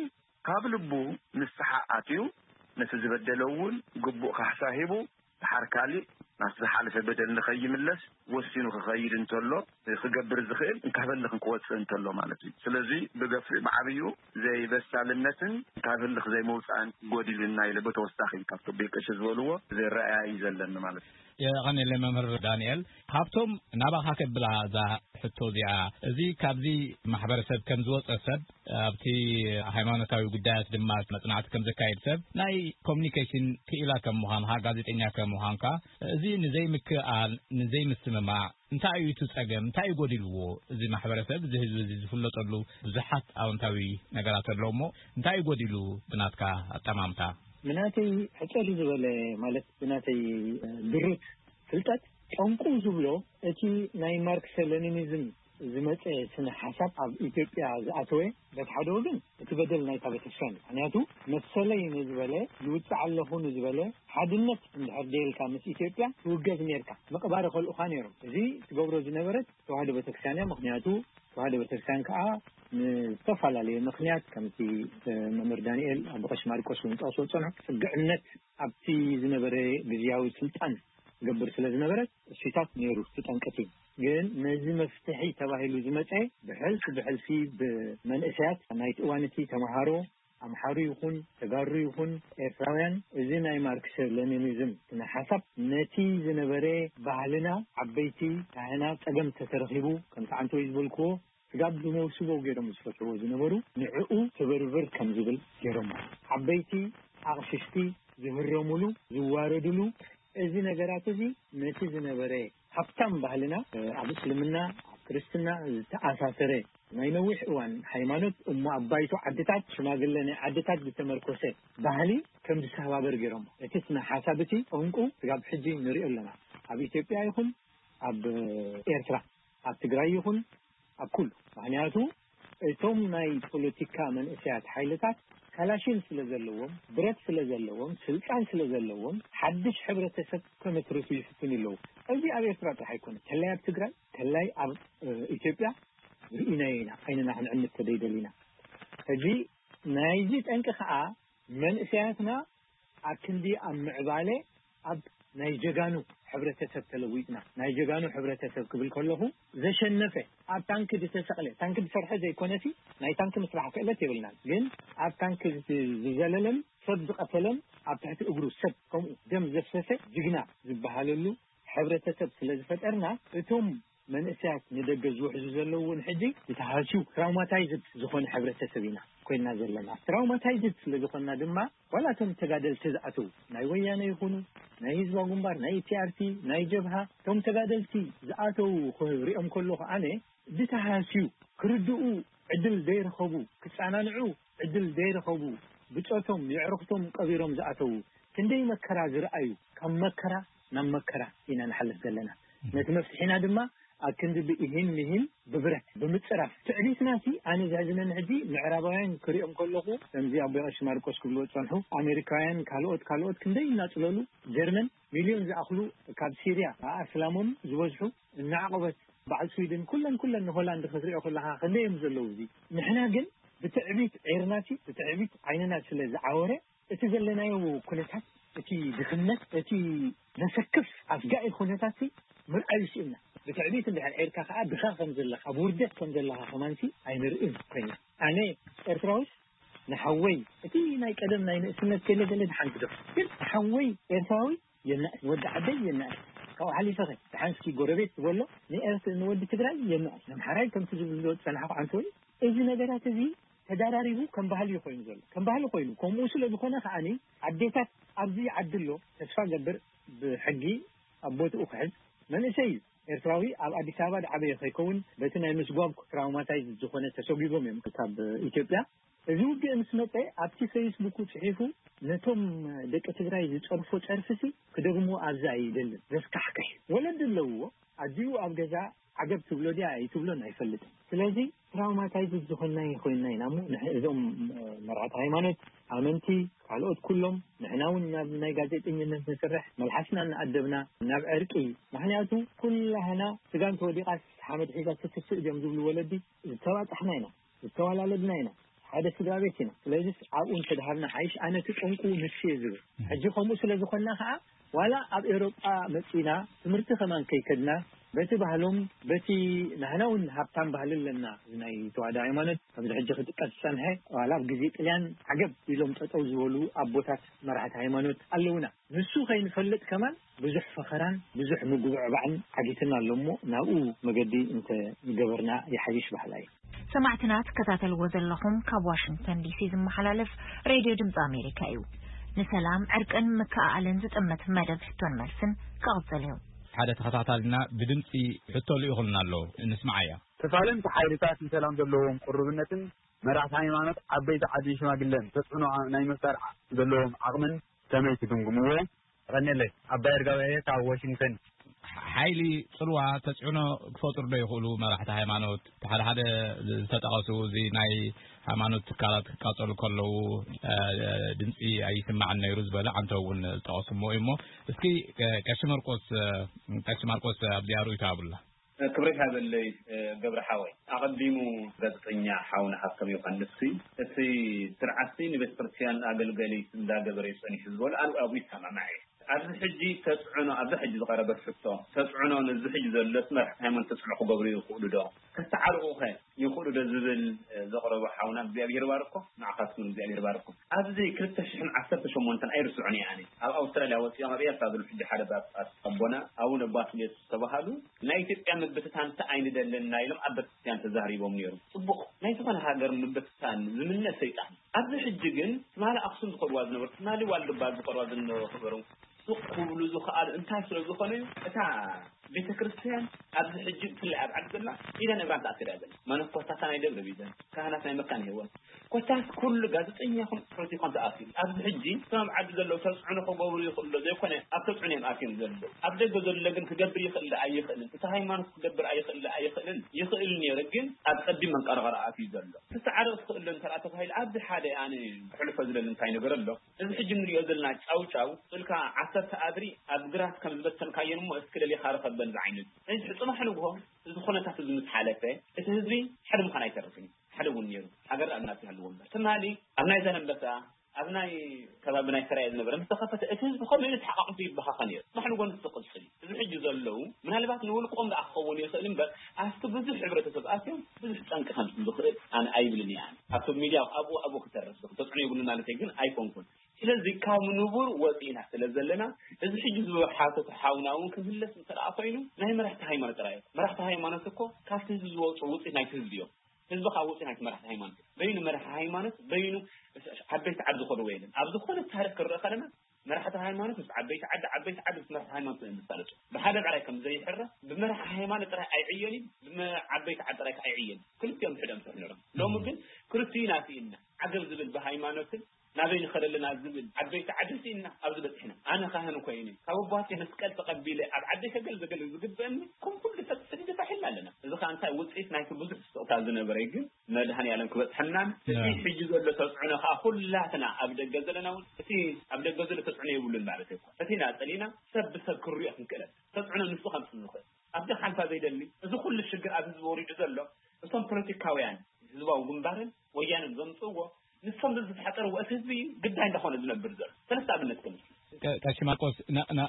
ካብ ልቡ ንስሓ ኣትዩ፣ ነቲ ዝበደለ እውን ግቡእ ካሕሳ ሂቡ፣ ድሓር ካሊእ ናብቲ ዝሓለፈ በደል ንኸይምለስ ወሲኑ ክኸይድ እንተሎ፣ ክገብር ዝኽእል እንካብ ህልኽ ክወጽእ እንተሎ ማለት እዩ። ስለዚ ብገፊሕ ብዓብዩ ዘይበሳልነትን እንካብ ህልኽ ዘይመውጻእን ጎዲሉና ኢለ ብተወሳኺ ካብቲ ኣቦይ ቀሺ ዝበልዎ ዝረኣያ እዩ ዘለኒ ማለት እዩ። የቐንየለይ መምህር ዳንኤል። ሃብቶም፣ ናባኻ ከብላ እዛ ሕቶ እዚኣ። እዚ ካብዚ ማሕበረሰብ ከም ዝወጸ ሰብ፣ ኣብቲ ሃይማኖታዊ ጉዳያት ድማ መጽናዕቲ ከም ዘካየድ ሰብ፣ ናይ ኮሚኒኬሽን ክኢላ ከም ምዃንኻ፣ ጋዜጠኛ ከም ምዃንካ፣ እዚ ንዘይምክእኣል፣ ንዘይምስምማዕ እንታይ እዩ እቲ ጸገም? እንታይ እዩ ጎዲልዎ? እዚ ማሕበረሰብ፣ እዚ ህዝቢ እዚ ዝፍለጠሉ ብዙሓት ኣወንታዊ ነገራት ኣለዎ እሞ፣ እንታይ እዩ ጎዲሉ ብናትካ ኣጠማምታ? ብናተይ ሕጽር ዝበለ፣ ማለት ብናተይ፣ እ፣ ድሩት ፍልጠት፣ ጠንቁ ዝብሎ እቲ ናይ ማርክስ ሌኒኒዝም ዝመጸ ስነ ሓሳብ ኣብ ኢትዮጵያ ዝኣተወ፣ በቲ ሓደ ወገን እቲ በደል ናይታ ቤተክርስትያን እዩ። ምኽንያቱ መሰለይ ንዝበለ፣ ይውጻዕ ኣለኹ ንዝበለ፣ ሓድነት እንድሕር ደየልካ ምስ ኢትዮጵያ ትውገዝ ኔርካ፣ ምቕባር ይኸልኡኻ ኔሮም። እዚ ትገብሮ ዝነበረት ተዋህዶ ቤተክርስትያን እያ። ምኽንያቱ ተዋህዶ ቤተክርስትያን ከኣ ንዝተፈላለየ ምኽንያት፣ ከምቲ፣ እ፣ መምህር ዳንኤል ኣቦ ቀሺ ማርቆስ እውን ጠቕሶ ዝጸንሑ፣ ጽግዕነት ኣብቲ ዝነበረ ግዝያዊ ስልጣን ትገብር ስለ ዝነበረት፣ እሱታት ነይሩ እቲ ጠንቅቲ። ግን ነዚ መፍትሒ ተባሂሉ ዝመጸ ብሕልፊ ብሕልፊ ብመንእሰያት ናይቲ እዋን እቲ ተምሃሮ፣ ኣምሓሩ ይኹን ተጋሩ ይኹን ኤርትራውያን፣ እዚ ናይ ማርክስ ሌኒኒዝም ስነ ሓሳብ ነቲ ዝነበረ ባህልና፣ ዓበይቲ ካህናት፣ ጸገም ተተረኺቡ፣ ከምቲ ዓንተወይ ዝበልክዎ፣ ስጋብ ብመውስቦ ገይሮም ዝፈትሕዎ ዝነበሩ፣ ንዕኡ ትብርብር ከም ዝብል ገይሮሞ። ዓበይቲ ኣቕሽሽቲ ዝህረሙሉ፣ ዝዋረዱሉ፣ እዚ ነገራት እዚ ነቲ ዝነበረ ሃብታም ባህልና፣ ኣብ እስልምና፣ ኣብ ክርስትና ዝተኣሳሰረ ናይ ነዊሕ እዋን ሃይማኖት እሞ ኣብ ባይቶ ዓድታት ሽማግለ ናይ ዓድታት ዝተመርኮሰ ባህሊ ከም ዝሰባበር ገይሮሞ። እቲ ስነ ሓሳብ እቲ ጠንቁ ስጋብ ሕጂ ንሪኦ ኣለና። ኣብ ኢትዮጵያ ይኹን ኣብ ኤርትራ፣ ኣብ ትግራይ ይኹን ኣብ ኩሉ። ምኽንያቱ እቶም ናይ ፖለቲካ መንእሰያት ሓይልታት ካላሽን ስለ ዘለዎም፣ ብረት ስለ ዘለዎም፣ ስልጣን ስለ ዘለዎም ሓድሽ ሕብረተሰብ ከመስርቱ ይፍትኑ ኣለዉ። እዚ ኣብ ኤርትራ ጥራሕ ኣይኮነ፣ ተላይ ኣብ ትግራይ፣ ተላይ ኣብ ኢትዮጵያ ርኢናዮ ኢና። ዓይንና ክንዕምት ተደይደሊና። ሕጂ ናይዚ ጠንቂ ከዓ መንእሰያትና ኣብ ክንዲ ኣብ ምዕባለ ኣብ ናይ ጀጋኑ ሕብረተሰብ ተለዊጥና። ናይ ጀጋኑ ሕብረተሰብ ክብል ከለኹ ዘሸነፈ፣ ኣብ ታንክ ዝተሰቕለ፣ ታንክ ዝሰርሐ ዘይኮነሲ ናይ ታንክ ምስራሕ ክእለት የብልናን፣ ግን ኣብ ታንክ ዝዘለለን ሰብ ዝቐተለን ኣብ ትሕቲ እግሩ ሰብ ከምኡ ደም ዘፍሰሰ ጅግና ዝበሃለሉ ሕብረተሰብ ስለ ዝፈጠርና እቶም መንእሰያት ንደገ ዝውሕዙ ዘለዉ እውን ሕጂ ዝተሃስዩ ትራውማታይዝድ ዝኾነ ሕብረተሰብ ኢና ኮይና ዘለና። ትራውማታይዝድ ስለ ዝኾንና ድማ ዋላ እቶም ተጋደልቲ ዝኣተዉ ናይ ወያነ ይኹኑ ናይ ህዝባዊ ግንባር ናይ ቲኣርቲ ናይ ጀብሃ እቶም ተጋደልቲ ዝኣተዉ ክሪኦም ከለኹ ኣነ ዝተሃስዩ ክርድኡ ዕድል ዘይረኸቡ ክጸናንዑ ዕድል ዘይረኸቡ ብጾቶም የዕርኽቶም ቀቢሮም ዝኣተዉ ክንደይ መከራ ዝረኣዩ ካብ መከራ ናብ መከራ ኢና ንሓልፍ ዘለና። ነቲ መፍትሒና ድማ ኣብ ክንዲ ብኢሂን ሚሂን ብብረት ብምጽራፍ ትዕቢትና ሲ ኣነ ዘሕዝነኒ ሕጂ ምዕራባውያን ክሪኦም ከለኹ ከምዚ ኣቦ ቀሺ ማርቆስ ክብልዎ ዝጸንሑ ኣሜሪካውያን ካልኦት ካልኦት ክንደይ እናጽለሉ ጀርመን ሚልዮን ዝኣኽሉ ካብ ሲርያ ኣስላሞም ዝበዝሑ እናዕቆበት በዓል ስዊድን ኩለን ኩለን ንሆላንድ ክትሪኦ ከለኻ ክንደይ እዮም ዘለዉ። እዚ ንሕና ግን ብትዕቢት ዒርናሲ ብትዕቢት ዓይንና ስለ ዝዓወረ እቲ ዘለናዮ ኩነታት እቲ ድኽነት እቲ ዘሰክፍ ኣስጋኢ ኩነታት ምርኣዩ ስእና ብትዕቢት እንድሕር ዒርካ ከዓ ድኻ ከም ዘለኻ ኣብ ውርደት ከም ዘለኻ ከማንሲ ኣይንርእን ኮይና ኣነ ኤርትራዊስ ንሓወይ እቲ ናይ ቀደም ናይ ንእስነት ገለ ገለ ድሓንቲ ዶ ግን ንሓወይ ኤርትራዊ የናእስ ወዲ ዓደይ የናእስ ካብኡ ሓሊፈኸ ድሓንስኪ ጎረቤት ዝበሎ ንኤርት ንወዲ ትግራይ የናእስ ነምሓራይ ከምቲ ዝብሎ ዝፀናሕኩ ዓንተ ወይ እዚ ነገራት እዚ ተዳራሪቡ ከም ባህሊ እዩ ኮይኑ ዘሎ ከም ባህሊ ኮይኑ ከምኡ ስለ ዝኾነ ከዓኒ ኣዴታት ኣብዚ ዓዲ ኣሎ ተስፋ ገብር ብሕጊ ኣብ ቦትኡ ክሕዝ መንእሰይ እዩ ኤርትራዊ ኣብ ኣዲስ ኣበባ ዝዓበየ ከይከውን በቲ ናይ ምስጓግ ትራውማታይዝ ዝኾነ ተሰጒጎም እዮም ካብ ኢትዮጵያ እዚ ውግእ ምስ መጸ ኣብቲ ፌስቡኩ ጽሒፉ ነቶም ደቂ ትግራይ ዝጸርፎ ጸርፍሲ ክደግሞ ኣብዚ ኣይደልን ዘስካሕክሕ ወለዲ ኣለውዎ ኣዲኡ ኣብ ገዛ ዓገብ ትብሎ ድያ ኣይትብሎን ኣይፈልጥን ስለዚ ትራውማታይዝ ዝኾንና ኮይንና ኢና እሞ እዞም መርዓት ሃይማኖት ኣመንቲ ካልኦት ኩሎም ንሕና እውን ናብ ናይ ጋዜጠኝነት ንስርሕ መልሓስና እናኣደብና ናብ ዕርቂ ምክንያቱ ኩላህና ስጋን ተወዲቓስ ሓመድ ሒዛ ትትስእ ድዮም ዝብሉ ወለዲ ዝተባፃሕና ኢና ዝተዋላለድና ኢና ሓደ ስድራ ቤት ኢና ስለዚስ ኣብኡ እንተድሃብና ሓይሽ ኣነ እቲ ጠንቁ ንሱ እየ ዝብል ሕጂ ከምኡ ስለ ዝኾንና ከዓ ዋላ ኣብ ኤውሮጳ መጺና ትምህርቲ ከማን ከይከድና በቲ ባህሎም በቲ ናህና እውን ሃብታም ባህሊ ኣለና እዚ ናይ ተዋህዶ ሃይማኖት ከምዚ ሕጂ ክጥቀስ ዝጸንሐ ዋላ ኣብ ግዜ ጥልያን ዓገብ ኢሎም ጠጠው ዝበሉ ኣቦታት መራሕቲ ሃይማኖት ኣለውና ንሱ ከይንፈልጥ ከማን ብዙሕ ፈኸራን ብዙሕ ምጉብዕባዕን ዓጊትና ኣሎ እሞ ናብኡ መገዲ እንተ ገበርና ይሓይሽ በሃላይ። ሰማዕትና ትከታተልዎ ዘለኹም ካብ ዋሽንግተን ዲሲ ዝመሓላለፍ ሬድዮ ድምፂ ኣሜሪካ እዩ። ንሰላም ዕርቅን ምክእኣልን ዝጥምት መደብ ሕቶን መልስን ክቕፅል እዩ። ሓደ ተኸታታልና ብድምፂ ሕቶ ልኢኹልና ኣሎ፣ ንስምዓያ። ተፋለምቲ ሓይልታት ንሰላም ዘለዎም ቅሩብነትን መራሕቲ ሃይማኖት፣ ዓበይቲ ዓድን ሽማግለን ተፅዕኖ ናይ ምፍጣር ዘለዎም ዓቕምን ከመይ ትግምግምዎ? የቐንየለይ። ኣባይ ኣርጋው እየ ካብ ዋሽንግተን። ሓይሊ ፅልዋ ተፅዕኖ ክፈጥሩ ዶ ይኽእሉ? መራሕቲ ሃይማኖት፣ እቲ ሓደ ሓደ ዝተጠቐሱ፣ እዚ ናይ ሃይማኖት ትካላት ክቃፀሉ ከለዉ ድምፂ ኣይስማዕን ነይሩ ዝበለ ዓንተው እውን ዝጠቐሱ እሞ እዩ። እሞ እስኪ ቀሺ መርቆስ፣ ቀሺ ማርቆስ ኣብዚኣ ርእይቶ ሃቡልና። ክብረት ይሃበለይ ገብረ ሓወይ። ኣቐዲሙ ጋዜጠኛ ሓውና ሃብቶም ዮሃንስ፣ እቲ ስርዓትሲ ንቤተ ክርስቲያን ኣገልገሊት እንዳገበረ እዩ ጸኒሑ ዝበሎ ኣነ ኣብኡ ይሰማማዕ እየ። ኣብዚ ሕጂ ተጽዕኖ፣ ኣብዛ ሕጂ ዝቐረበት ሕቶ፣ ተጽዕኖ ነዚ ሕጂ ዘሎ መራሕቲ ሃይማኖት ተጽዕኖ ክገብሩ ይኽእሉ ዶ? ከተዓርቑኸ ይኽእሉ ዶ ዝብል ዘቕረቦ ሓውና እግዚኣብሔር ይባርኮ፣ ንዓኻትኩም እግዚኣብሔር ይባርኮ። ኣብዚ ክልተ ሽሕን ዓሰርተ ሸሞንተን ኣይርስዖን እየ ኣነ። ኣብ ኣውስትራልያ ወጺኦም ኣብ ኤርትራ ዘለዉ ሕጂ ሓደ ጳጳስ ኣቦና ኣቡነ ባስልዮስ ዝተባህሉ ናይ ኢትዮጵያ ምብትታን ኣይንደልን ኢና ኢሎም ኣብ ቤተክርስትያን ተዛሪቦም ነይሮም። ጽቡቕ፣ ናይ ዝኾነ ሃገር ምብትታን ዝምነ ሰይጣን እዩ። ኣብዚ ሕጂ ግን ትማሊ ኣኽሱም ዝኸድዋ ዝነበሩ፣ ትማሊ ዋልድባ ዝኸድዋ ዝነበሩ ሱቕ ክብሉ ዝኸኣሉ እንታይ ስለ ዝኾኑ እዩ? እታ ቤተ ክርስቲያን ኣብዚ ሕጂ ብፍላይ ኣብ ዓዲ ዘላ ኢዳን እግራን ተኣሲራ እያ ዘላ። መነኮሳት ናይ ደብረ ቢዘን፣ ካህናት ናይ መካነ ህይወት፣ ኮታስ ኩሉ ጋዜጠኛኹም ፖለቲካን ተኣሲሩ። ኣብዚ ሕጂ እቶም ኣብ ዓዲ ዘለዉ ተጽዕኖ ክገብሩ ይኽእሉ ዶ ዘይኮነ ኣብ ተጽዕኖ እዮም ኣትዮም ዘለዉ። ኣብ ደገ ዘሎ ግን ክገብር ይኽእል ዶ ኣይኽእልን፣ እቲ ሃይማኖት ክገብር ኣይኽእል ዶ ኣይኽእልን፣ ይኽእል ነይሩ ግን ኣብ ጸቢብ መንቀርቐር ኣትዩ ዘሎ። ክሰዓረ ትኽእል ዶ እንተ ተባሂሉ ኣብዚ ሓደ ኣነ ክሕልፎ ዝደሊ እንታይ ነገር ኣሎ? እዚ ሕጂ ንሪኦ ዘለና ጫውጫው ጽልካ ዓሰርተ ኣድሪ ኣብ ግራት ከም ዝበተንካየን እሞ እስኪ ለሊኻ ርኸበን ዝዓይነቱ። እዚ ጽባሕ ንግሆ እዚ ኩነታት እዚ ምስ ሓለፈ እቲ ህዝቢ ሓደ ምዃን ኣይተርፍን እዩ። ሓደ እውን ነይሩ። ሃገር ኣብ ናት ይሃልዎ እምበር። ትማሊ ኣብ ናይ ዛላንበሳ ኣብ ናይ ከባቢ ናይ ሰራየ ዝነበረ ምስ ተኸፈተ እቲ ህዝቢ ከመይ ኢሉ ተሓቃቂፉ ይበኻኸ ነይሩ። ጽባሕ ንግሆ ንሱ ክቕጽል እዩ። እዚ ሕጂ ዘለዉ ምናልባት ንውልቆም ደኣ ክኸውን ይኽእል እምበር ኣብቲ ብዙሕ ሕብረተሰብ ኣትዮም ብዙሕ ጠንቂ ከምጽኡ ዝኽእል ኣነ ኣይብልን እየ። ኣነ ኣብቶም ሚድያ ኣብኡ ኣብኡ ክተርፍ ዝኽእል ተጽዕኖ የብሉን ማለተይ ግን ኣይኮንኩን። ስለዚ ካብ ንቡር ወፂእና ስለ ዘለና እዚ ሕጂ ዝሓተተ ሓውና እውን ክምለስ እንተደኣ ኮይኑ ናይ መራሕቲ ሃይማኖት ጥራይ እዩ። መራሕቲ ሃይማኖት እኮ ካብቲ ህዝቢ ዝወፁ ውፅኢት ናይቲ ህዝቢ እዮም። ህዝቢ ካብ ውፅኢት ናይቲ መራሕቲ ሃይማኖት እዩ። በይኑ መራሒ ሃይማኖት በይኑ ዓበይቲ ዓዲ ዝኸድዎ የለን። ኣብ ዝኾነ ታሪክ ክንርኢ ከለና መራሕቲ ሃይማኖት ምስ ዓበይቲ ዓዲ ዓበይቲ ዓዲ ምስ መራሕቲ ሃይማኖት እዮም ዝሳለጡ። ብሓደ ጥራይ ከም ዘይሕረ ብመራሒ ሃይማኖት ጥራይ ኣይዕየን እዩ። ብዓበይቲ ዓዲ ጥራይ ኣይዕየን። ክልቲኦም ሕደም ትሕነሮም። ሎሚ ግን ክልቲኡ ናትኢና ዓገብ ዝብል ብሃይማኖትን ናበይ ንኸደለና ዝብል ዓበይቲ ዓዲ ስኢና ኣብዚ በፂሕና። ኣነ ካህን ኮይነ ካብ ኣቦቴ መስቀል ተቐቢለ ኣብ ዓደይ ከገልግል ዝግበእኒ ከም ኩሉ ሰብ ሰዲደ ፋሒልና ኣለና። እዚ ከዓ እንታይ ውፅኢት ናይቲ ብዙሕ ስቕታ ዝነበረ ግን መድሃኒ ኣለም ክበፅሐናን እቲ ሕጂ ዘሎ ተፅዕኖ ከዓ ኩላትና ኣብ ደገ ዘለና እውን እቲ ኣብ ደገ ዘሎ ተፅዕኖ የብሉን ማለት ኣይኮን። እቲ ኢና ፀሊእና ሰብ ብሰብ ክሪኦ ክንክእለን ተፅዕኖ ንሱ ከምፅእ ዝኽእል ኣብዚ ሓልፋ ዘይደሊ እዚ ኩሉ ሽግር ኣብ ህዝቢ ወሪዱ ዘሎ እቶም ፖለቲካውያን ህዝባዊ ግንባርን ወያንን ዘምፅእዎ ንሶም ዝተሓፀርዎ እቲ ህዝቢ ግዳይ እንዳኾነ ዝነብር ዘሎ ሰለስተ ኣብነት ከም ቀሺ ማርቆስ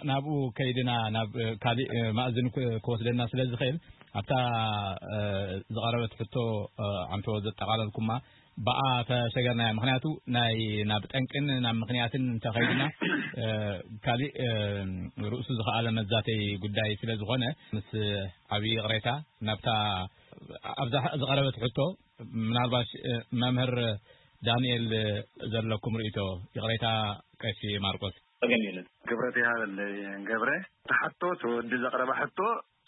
ናብኡ ከይድና ናብ ካሊእ ማእዝን ክወስደና ስለ ዝኽእል ኣብታ ዝቐረበት ሕቶ ዓንቶ ዘጠቓለልኩማ ብኣ ተሰገርናያ ምክንያቱ ናይ ናብ ጠንቅን ናብ ምክንያትን እንተኸይድና ካሊእ ርእሱ ዝኸኣለ መዛተይ ጉዳይ ስለ ዝኾነ ምስ ዓብዪ ይቕሬታ ናብታ ኣብዛ ዝቐረበት ሕቶ ምናልባሽ መምህር ዳንኤል ዘለኩም ርእቶ ይቕሬታ ቀሺ ማርቆስ። ጸገም የለን። ክብረት ይሃበለይ ገብረ። ተሓቶ ተወዲ ዘቕረባ ሕቶ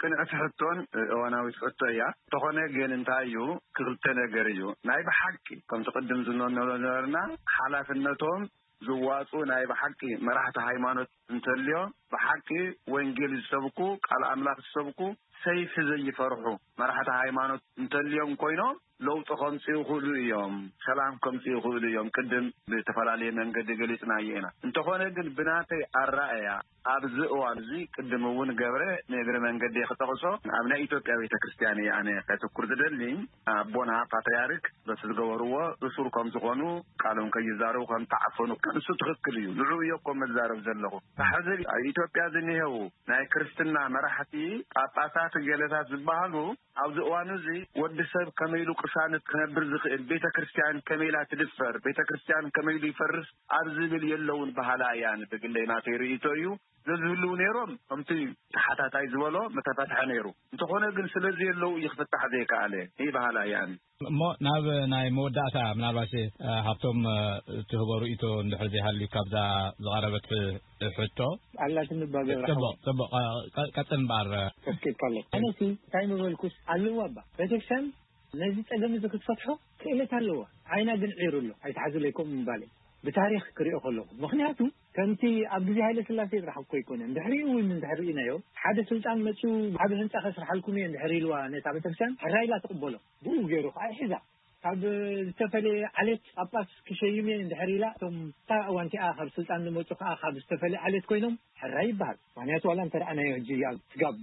ቅንዕቲ ሕቶን እዋናዊት ሕቶ እያ። እንተኾነ ግን እንታይ እዩ ክልተ ነገር እዩ ናይ ብሓቂ ከምቲ ቅድም ዝነነሮ ነበርና ሓላፍነቶም ዝዋፁ ናይ ብሓቂ መራሕቲ ሃይማኖት እንተልዮ ብሓቂ ወንጌል ዝሰብኩ ቃል ኣምላኽ ዝሰብኩ ሰይፊ ዘይፈርሑ መራሕቲ ሃይማኖት እንተልዮም ኮይኖም ለውጢ ከምፅኡ ይኽእሉ እዮም፣ ሰላም ከምፅኡ ይኽእሉ እዮም። ቅድም ብተፈላለየ መንገዲ ገሊፅናዮ ኢና። እንተኾነ ግን ብናተይ ኣራእያ ኣብዚ እዋን እዚ ቅድም እውን ገብረ ንእግሪ መንገዲ ክጠቕሶ ኣብ ናይ ኢትዮጵያ ቤተ ክርስቲያን እየ ኣነ ከትኩር ዝደሊ ኣቦና ፓትርያርክ በቲ ዝገበርዎ እሱር ከም ዝኾኑ ቃሎም ከይዛረቡ ከም ተዓፈኑ ንሱ ትኽክል እዩ። ንዑ እዮ እኮ መዛረብ ዘለኹ። ሕዚ ኣብ ኢትዮጵያ ዝኒሄው ናይ ክርስትና መራሕቲ ጳጳሳት ገለታት ዝበሃሉ ኣብዚ እዋን እዚ ወዲ ሰብ ከመይ ኢሉ ቅሳነት ክነብር ዝኽእል፣ ቤተ ክርስቲያን ከመይ ኢላ ትድፈር፣ ቤተ ክርስቲያን ከመይ ኢሉ ይፈርስ ኣብ ዝብል የለውን በሃላ እያ። ብግለይ ናተይ ርእይቶ እዩ። ዘዝህልው ነይሮም ከምቲ ተሓታታይ ዝበሎ ምተፈትሐ ነይሩ። እንተኾነ ግን ስለዘየለዉ እዩ ክፍታሕ ዘይከኣለ። ይበሃል ኣያን። እሞ ናብ ናይ መወዳእታ ምናልባሽ ሃብቶም ትህቦ ርእይቶ እንድሕር ዘይሃልዩ ካብዛ ዝቐረበት ሕቶ። ኣላትኒ እባ ገብረ ሓወይ። ጽቡቕ ጽቡቕ ቀጽል እምበኣር። ተስኪልካ ኣሎ። ኣነሲ እንታይ ምበልኩስ ኣለዋ እባ ቤተክርስትያን ነዚ ጸገም እዚ ክትፈትሖ ክእለት ኣለዋ። ዓይና ግን ዒሩ ኣሎ ኣይትሓዝለይ ከምኡ ምባል እዩ። ብታሪኽ ክሪኦ ከለኹ ምኽንያቱ ከምቲ ኣብ ግዜ ሃይለ ስላሴ ጥራሕ እኮ ኣይኮነን ድሕሪኡ እውን እንድሕር ርኢናዮ ሓደ ስልጣን መፅኡ ዓብ ህንፃ ከስርሓልኩም እየ እንድሕር ኢልዋ ነታ ቤተክርስትያን ሕራይ ኢላ ትቕበሎ ብኡ ገይሩ ከዓ ይሕዛ ካብ ዝተፈለየ ዓሌት ጳጳስ ክሸይም እየ እንድሕር ኢላ እቶም እታ እዋንቲኣ ካብ ስልጣን ዝመፁ ከዓ ካብ ዝተፈለየ ዓሌት ኮይኖም ሕራይ ይበሃል ምክንያቱ ዋላ እንተረኣናዮ ሕጂ ኣብ ስጋብ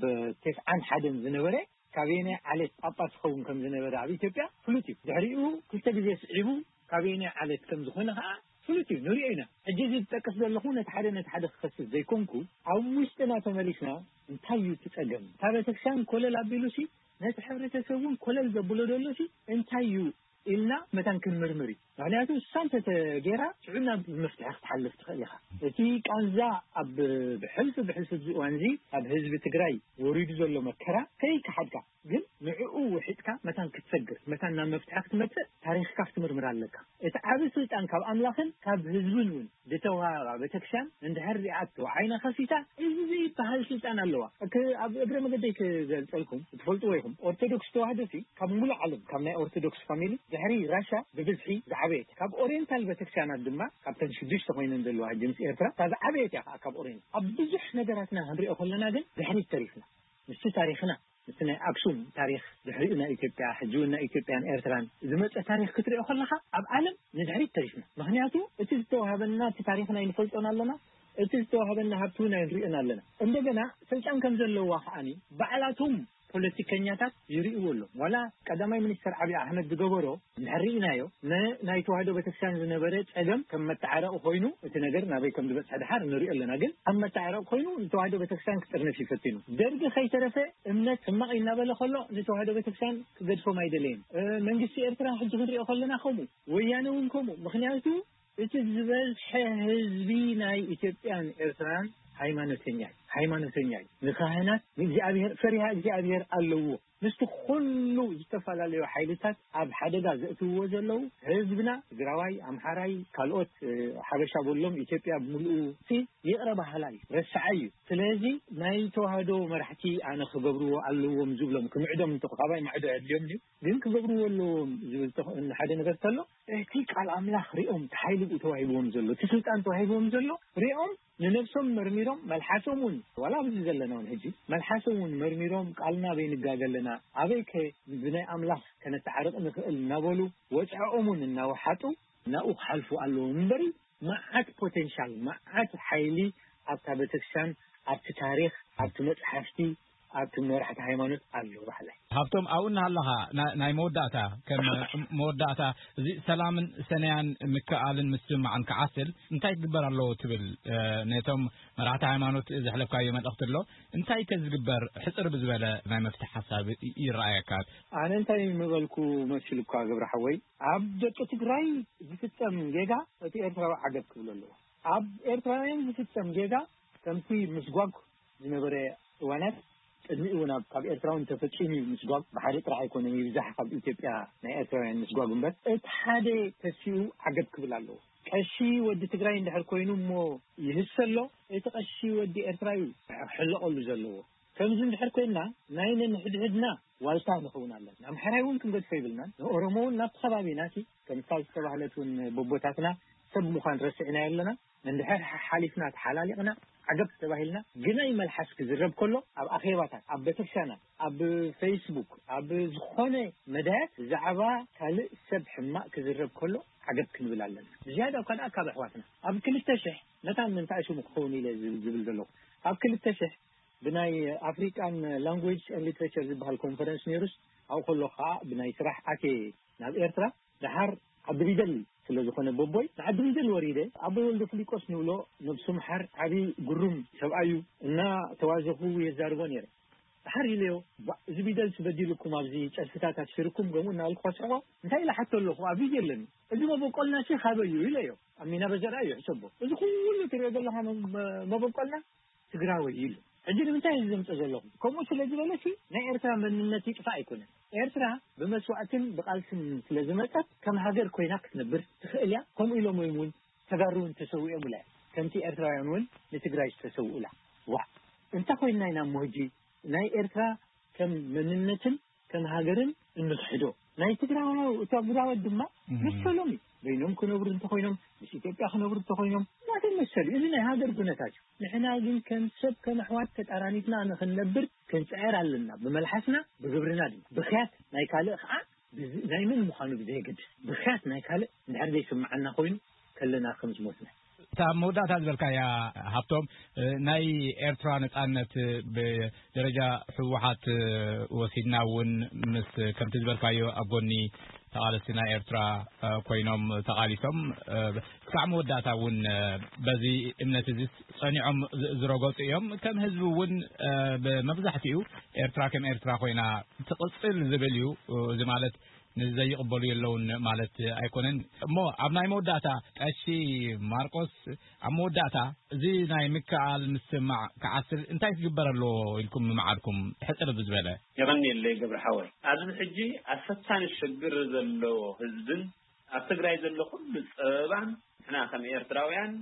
ቴስዓን ሓደን ዝነበረ ካበየናይ ዓሌት ጳጳስ ክኸውን ከም ዝነበረ ኣብ ኢትዮጵያ ፍሉጥ እዩ። ድሕሪኡ ክልተ ግዜ ስዒቡ ካበየናይ ዓሌት ከም ዝኾነ ከዓ ፍሉጥ እዩ፣ ንሪኦ ኢና። ሕጂ እዚ ዝጠቅስ ዘለኹ ነቲ ሓደ ነቲ ሓደ ክኸስስ ዘይኮንኩ ኣብ ውሽጥና ተመሊስና እንታይ እዩ እቲ ጸገም? እታ ቤተክርስትያን ኮለል ኣቢሉሲ ነቲ ሕብረተሰብ እውን ኮለል ዘብሎ ደሎሲ እንታይ እዩ ኢልና መታን ክንምርምር እዩ። ምክንያቱ እሳ እንተተገይራ ሽዑ ናብ መፍትሒ ክትሓልፍ ትኽእል ኢኻ። እቲ ቃንዛ ኣብ ብሕልፊ ብሕልፊ እዚ እዋን እዚ ኣብ ህዝቢ ትግራይ ወሪዱ ዘሎ መከራ ከይከሓድካ ግን ንዕኡ ውሒጥካ መታን ክትሰግር፣ መታን ናብ መፍትሒ ክትመጽእ ታሪኽካ ክትምርምር ኣለካ። እቲ ዓቢ ስልጣን ካብ ኣምላኽን ካብ ህዝብን እውን ዝተዋህባ ቤተክርስትያን እንድሕር ሪኣቶ ዓይና ከፊታ፣ እዚ ዘይበሃል ስልጣን ኣለዋ። ክ-፣ ኣብ እግረ መገደይ ክገልጸልኩም፣ ትፈልጥዎ ኢኹም። ኦርቶዶክስ ተዋህዶ ሲ ካብ ሙሉእ ዓለም፣ ካብ ናይ ኦርቶዶክስ ፋሚሊ ድሕሪ ራሻ ብብዝሒ ዝዓበየት፣ ካብ ኦሪየንታል ቤተክርስትያናት ድማ፣ ካብተን ሽዱሽተ ኮይነን ዘለዋ ሕጂ ምስ ኤርትራ፣ እታ ዝዓበየት እያ ከዓ ካብ ኦሪየንት። ኣብ ብዙሕ ነገራትና ክንሪኦ ከለና ግን ድሕሪት ተሪፍና። ምስቲ ታሪኽና፣ ምስቲ ናይ ኣክሱም ታሪኽ፣ ድሕሪኡ ናይ ኢትዮጵያ፣ ሕጂ እውን ናይ ኢትዮጵያን ኤርትራን ዝመጸ ታሪኽ ክትሪኦ ከለኻ፣ ኣብ ዓለም ንድሕሪት ተሪፍና። ምኽንያቱ እቲ ዝተዋህበና፣ እቲ ታሪኽና ኣይንፈልጦን ኣለና፣ እቲ ዝተዋህበና ሃብቲ እውን ኣይንሪኦን ኣለና። እንደገና ስልጣን ከም ዘለዋ ከዓኒ ባዕላቶም ፖለቲከኛታት ይርእይዎ ኣለዉ። ዋላ ቀዳማይ ሚኒስተር ዓብዪ ኣሕመድ ዝገበሮ እንድሕር ርኢናዮ፣ ን-፣ ናይ ተዋህዶ ቤተክርስትያን ዝነበረ ጸገም ከም መተዓረቂ ኮይኑ፣ እቲ ነገር ናበይ ከም ዝበጽሐ ድሓር ንሪኦ ኣለና። ግን ከም መተዓረቂ ኮይኑ ንተዋህዶ ቤተክርስትያን ክጥርንፍ እዩ ፈቲኑ። ደርጊ ከይተረፈ እምነት ሕማቕ እዩ እናበለ ከሎ ንተዋህዶ ቤተክርስትያን ክገድፎም ኣይደለየን። እ፣ መንግስቲ ኤርትራ ሕጂ ክንሪኦ ከለና ከምኡ፣ ወያነ እውን ከምኡ። ምኽንያቱ እቲ ዝበዝሐ ህዝቢ ናይ ኢትዮጵያን ኤርትራን ሃይማኖተኛ እዩ። ሃይማኖተኛ እዩ። ንካህናት ንእግዚኣብሔር፣ ፈሪሃ እግዚኣብሔር ኣለዎ። ምስቲ ኩሉ ዝተፈላለዩ ሓይልታት ኣብ ሓደጋ ዘእትውዎ ዘለዉ፣ ህዝብና ትግራዋይ፣ ኣምሓራይ፣ ካልኦት፣ እ፣ ሓበሻ በሎም፣ ኢትዮጵያ ብምልኡ፣ እቲ ይቕረ በሃላይ እዩ፣ ረሳዓይ እዩ። ስለዚ ናይ ተዋህዶ መራሕቲ ኣነ ክገብርዎ ኣለዎም ዝብሎም፣ ክምዕዶም እንተ፣ ካባይ ማዕዶ ኣየድልዮም ድዩ? ግን ክገብርዎ ኣለዎም ዝብል ተኽ-፣ ሓደ ነገር ተሎ፣ እቲ ቃል ኣምላኽ ሪኦም፣ እቲ ሓይሊ ተዋሂብዎም ዘሎ፣ እቲ ስልጣን ተዋሂብዎም ዘሎ ሪኦም፣ ንነብሶም መርሚሮም፣ መልሓሶም እውን፣ ዋላ ኣብዚ ዘለና እውን ሕጂ፣ መልሓሶም እውን መርሚሮም፣ ቃልና ኣበይ ንጋገ ኣለና፣ ኣበይ ከ ብናይ ኣምላኽ ከነተዓርቕ ንኽእል እናበሉ፣ ወፅዖም እውን እናወሓጡ፣ ናብኡ ክሓልፉ ኣለዎም እምበሪ፣ መዓት ፖቴንሻል፣ መዓት ሓይሊ ኣብታ ቤተክርስትያን፣ ኣብቲ ታሪኽ፣ ኣብቲ መፅሓፍቲ፣ ኣብቲ መራሕቲ ሃይማኖት ኣሎ ባሕላይ። ሃብቶም፣ ኣብኡ እናሃለኻ ና-፣ ናይ መወዳእታ፣ ከም መወዳእታ፣ እዚ ሰላምን ሰነያን ምክእኣልን ምስምማዕን ክዓስል እንታይ ክግበር ኣለዎ ትብል? እ፣ ነቶም መራሕቲ ሃይማኖት ዘሕለፍካዮ መልእኽቲ ኣሎ? እንታይ ከ ዝግበር ሕጽር ብዝበለ ናይ መፍትሒ ሓሳብ ይ-፣ ይረኣየካ? ኣነ እንታይ ምበልኩ መሲሉካ ገብረ ሓወይ፣ ኣብ ደቂ ትግራይ ዝፍጸም ጌጋ እቲ ኤርትራዊ ዓገብ ክብሎ ኣለዎ። ኣብ ኤርትራውያን ዝፍጸም ጌጋ ከምቲ ምስጓግ ዝነበረ እዋናት፣ ቅድሚኡ እውን ኣብ፣ ካብ ኤርትራ እውን ተፈጺሙ እዩ ምስጓግ። ብሓደ ጥራሕ ኣይኮነን፣ ይብዛሕ ካብ ኢትዮጵያ ናይ ኤርትራውያን ምስጓግ እምበር። እቲ ሓደ ተሲኡ ዓገብ ክብል ኣለዎ። ቀሺ ወዲ ትግራይ እንድሕር ኮይኑ እሞ ይህሰሎ፣ እቲ ቀሺ ወዲ ኤርትራ እዩ ክሕለቐሉ ዘለዎ። ከምዚ እንድሕር ኮይንና ናይ ነንሕድሕድና ዋልታ ንኸውን ኣለና። ኣምሓራይ እውን ክንገድፎ ይብልናን፣ ንኦሮሞ እውን ናብቲ ከባቢና ሲ ከምታ ዝተባህለት እውን ቦቦታትና ሰብ ምዃን ረሲዕናዮ ኣለና። እንድሕር ሓ-፣ ሓሊፍና ተሓላሊቕና ዓገብ ተባሂልና፣ ግናይ መልሓስ ክዝረብ ከሎ ኣብ ኣኼባታት፣ ኣብ ቤተክርስትያናት፣ ኣብ ፌስቡክ፣ ኣብ ዝኾነ መዳያት ብዛዕባ ካልእ ሰብ ሕማቕ ክዝረብ ከሎ ዓገብ ክንብል ኣለና። ብዝያዳ እኳ ደኣ ካብ ኣሕዋትና ኣብ ክልተ ሽሕ መታን ምንታይ ሽሙ ክኸውን ኢለ ዝብል፣ ዝብል ዘለኹ ኣብ ክልተ ሽሕ ብናይ ኣፍሪቃን ላንጉጅ ኤንድ ሊትሬቸር ዝበሃል ኮንፈረንስ ነይሩስ፣ ኣብኡ ከሎ ከዓ ብናይ ስራሕ ኣትየ ናብ ኤርትራ። ደሓር ዓዲ ቢደል ስለ ዝኾነ ቦቦይ፣ ንዓዲ ቢደል ወሪደ። ኣቦይ ወልደ ፍሊቆስ ንብሎ፣ ነብሱ ምሓር፣ ዓቢ ግሩም ሰብኣይ እዩ። እና ተዋዘኹ የዛርቦ ነይረ። ደሓር ኢለዮ፣ "ባ-፣ እዚ ቢደልስ በዲሉኩም ኣብዚ ጨርፍታት ኣስፊርኩም?" ገምኡ እናበልኩ ከስሕቆ፣ እንታይ ኢለ ሓቶ ኣለኹ፣ ኣብ ቪድዮ ኣለኒ። "እዚ መበቆልና ሲ ካበይ እዩ?" ኢለዮ። ኣብ ሚና በዘራ እዩ ሕሰቦ። "እዚ ኩሉ ትሪኦ ዘለኻ መ-፣ መ-፣ መበቆልና ትግራወይ" ኢሉ። ሕጂ ንምንታይ እዚ ዘምፀ ዘለኹ? ከምኡ ስለ ዝበለ ሲ ናይ ኤርትራ መንነት ይጥፋእ ኣይኮነን። ኤርትራ ብመስዋእትን ብቃልስን ስለ ዝመፀት ከም ሃገር ኮይና ክትነብር ትኽእል እያ። ከምኡ ኢሎም እዮም እውን ተጋሩ እውን ተሰዊኦምላ እዮም። ከምቲ ኤርትራውያን እውን ንትግራይ ዝተሰውኡላ። ዋ፣ እንታይ ኮይንና ኢና እሞ ሕጂ ናይ ኤርትራ ከም መንነትን ከም ሃገርን እንኽሕዶ? ናይ ትግራዋይ፣ ትግራዋይ ድማ እህ። መሰሎም እዩ። በይኖም ክነብሩ እንተኾይኖም፣ ምስ ኢትዮጵያ ክነብሩ እንተኾይኖም፣ ናተይ መሰል እዩ። እዚ ናይ ሃገር ኩነታት እዩ። ንሕና ግን ከም ሰብ፣ ከም ኣሕዋት ተጣራኒትና ንኽንነብር ክንጽዕር ኣለና። ብመልሓስና፣ ብግብርና ድማ። ብኽያት ናይ ካልእ ኸዓ፣ ብዝ-፣ ናይ መን ምዃኑ ብዘየገድስ፣ ብኽያት ናይ ካልእ እንድሕር ዘይስምዓና ኮይኑ፣ ከለና ከም ዝሞትና። እታ ኣብ መወዳእታ ዝበልካያ፣ ሃብቶም፣ እ፣ ናይ ኤርትራ ነጻነት፣ እ፣ ብደረጃ ህወሓት፣ እ፣ ወሲድና እውን ምስ፣ ከምቲ ዝበልካዮ፣ ኣብ ጎኒ ተቓለስቲ ናይ ኤርትራ፣ እ፣ ኮይኖም ተቓሊሶም፣ እ፣ ክሳዕ መወዳእታ እውን፣ እ፣ በዚ እምነት እዚ ጸኒዖም ዝ-፣ ዝረገጹ እዮም። ከም ህዝቢ እውን፣ እ፣ ብመብዛሕትኡ ኤርትራ ከም ኤርትራ ኮይና ትቕጽል ዝብል እዩ። እዚ ማለት ንዘይቕበሉ የለውን ማለት ኣይኮነን። እሞ ኣብ ናይ መወዳእታ ቀሺ ማርቆስ፣ ኣብ መወዳእታ እዚ ናይ ምክኣል ምስማዕ ክዓስል እንታይ ክግበር ኣለዎ ኢልኩም ምምዓድኩም? ሕጽር ብዝበለ። የቐንየለይ ገብረ ሓወይ። ኣብዚ ሕጂ ኣብ ፈታኒ ሽግር ዘሎ ህዝብን ኣብ ትግራይ ዘሎ ኩሉ ጸበባን ንሕና ከም ኤርትራውያን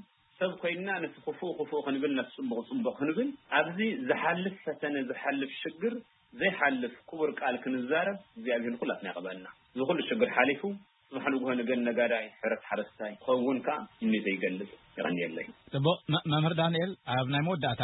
ሰብ ኮይንና ነቲ ክፉእ ክፉእ ክንብል፣ ነቲ ጽቡቕ ጽቡቕ ክንብል፣ ኣብዚ ዝሓልፍ ፈተነ፣ ዝሓልፍ ሽግር ዘይሓልፍ ክቡር ቃል ክንዛረብ እግዚኣብሔር ንኩላትና ይቐበልና። እዚ ኩሉ ሽግር ሓሊፉ ጽባሕ ንግሆ ንገን ነጋዳይ፣ ሕረስ ሓረስታይ ክኸውን ከኣ ምኒተይ ይገልጽ። የቐንየለይ። ጽቡቕ። መ-፣ መምህር ዳንኤል፣ ኣብ ናይ መወዳእታ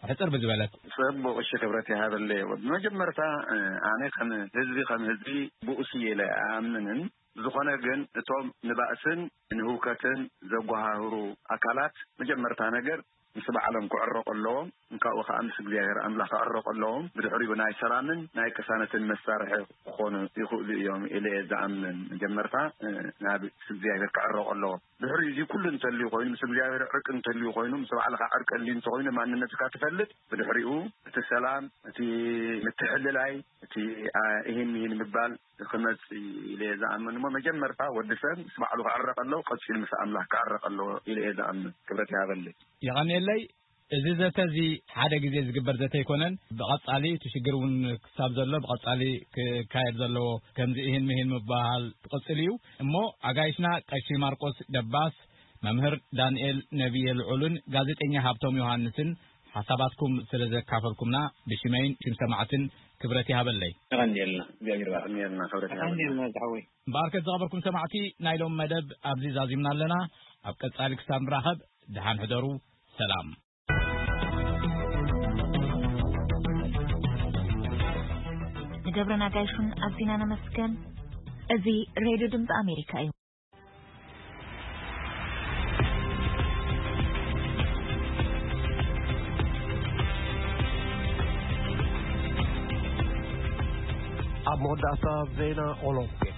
ሕጽር ብዝበለት። ጽቡቕ፣ እሺ፣ ክብረት ይሃበለይ። ብመጀመርታ፣ እ፣ ኣነ ከም ህዝቢ፣ ከም ህዝቢ ብኡስ እየ ኢለ ኣይኣምንን። ዝኾነ ግን እቶም ንባእስን ንህውከትን ዘጓሃህሩ ኣካላት መጀመርታ ነገር ምስ ባዕሎም ክዕረቑ ኣለዎም። እንካኡ ከኣ ምስ እግዚኣብሔር ኣምላኽ ክዕረቑ ኣለዎም። ብድሕሪኡ ናይ ሰላምን ናይ ቅሳነትን መሳርሒ ክኾኑ ይኽእሉ እዮም ኢለ እየ ዝኣምን። መጀመርታ፣ እ፣ ናብ ምስ እግዚኣብሔር ክዕረቑ ኣለዎም። ድሕሪኡ እዚ ኩሉ እንተልዩ ኮይኑ፣ ምስ እግዚኣብሔር ዕርቂ እንተልዩ ኮይኑ፣ ምስ ባዕልኻ ዕርቂ ኣልዩ እንተኾይኑ፣ ማንነትካ ትፈልጥ። ብድሕሪኡ እቲ ሰላም፣ እቲ ምትሕልላይ፣ እቲ፣ አ፣ ይህን ይህን ምባል ክመጽእ ኢለ እየ ዝኣምን። እሞ መጀመርታ ወዲ ሰብ ምስ ባዕሉ ክዕረቕ ኣለዎ፣ ቀጺሉ ምስ ኣምላኽ ክዕረቕ ኣለዎ ኢለ እየ ዝኣምን። ክብረት ይሃበለይ። የቐንየለይ። እዚ ዘተ እዚ ሓደ ግዜ ዝግበር ዘተ ኣይኮነን። ብቐጻሊ እቲ ሽግር እውን ክሳብ ዘሎ ብቐጻሊ ክካየድ ዘለዎ፣ ከምዚ እህን ምሂን ምባሃል ክቕጽል እዩ። እሞ ኣጋይሽና ቀሺ ማርቆስ ደባስ፣ መምህር ዳንኤል ነብየ ልዑልን ጋዜጠኛ ሃብቶም ዮሃንስን ሓሳባትኩም ስለ ዘካፈልኩምና ብሽመይን ሽም ሰማዕትን ክብረት ይሃበለይ። የቐንየልና፣ እግዚኣብሔር ይባርክ። የቐንየልና፣ ክብረት ይሃበለይ። የቐንየልና ዝሓወይ። እምበኣርከስ ዝኸበርኩም ሰማዕቲ፣ ናይ ሎም መደብ ኣብዚ ዛዚምና ኣለና። ኣብ ቀጻሊ ክሳብ ንራኸብ፣ ደሓን ሕደሩ። ሰላም። ንገብረ ናጋይሹን ኣዚና ነመስገን። እዚ ሬድዮ ድምፂ ኣሜሪካ እዩ። ኣብ መወዳእታ ዜና ኦሎምፒክ፣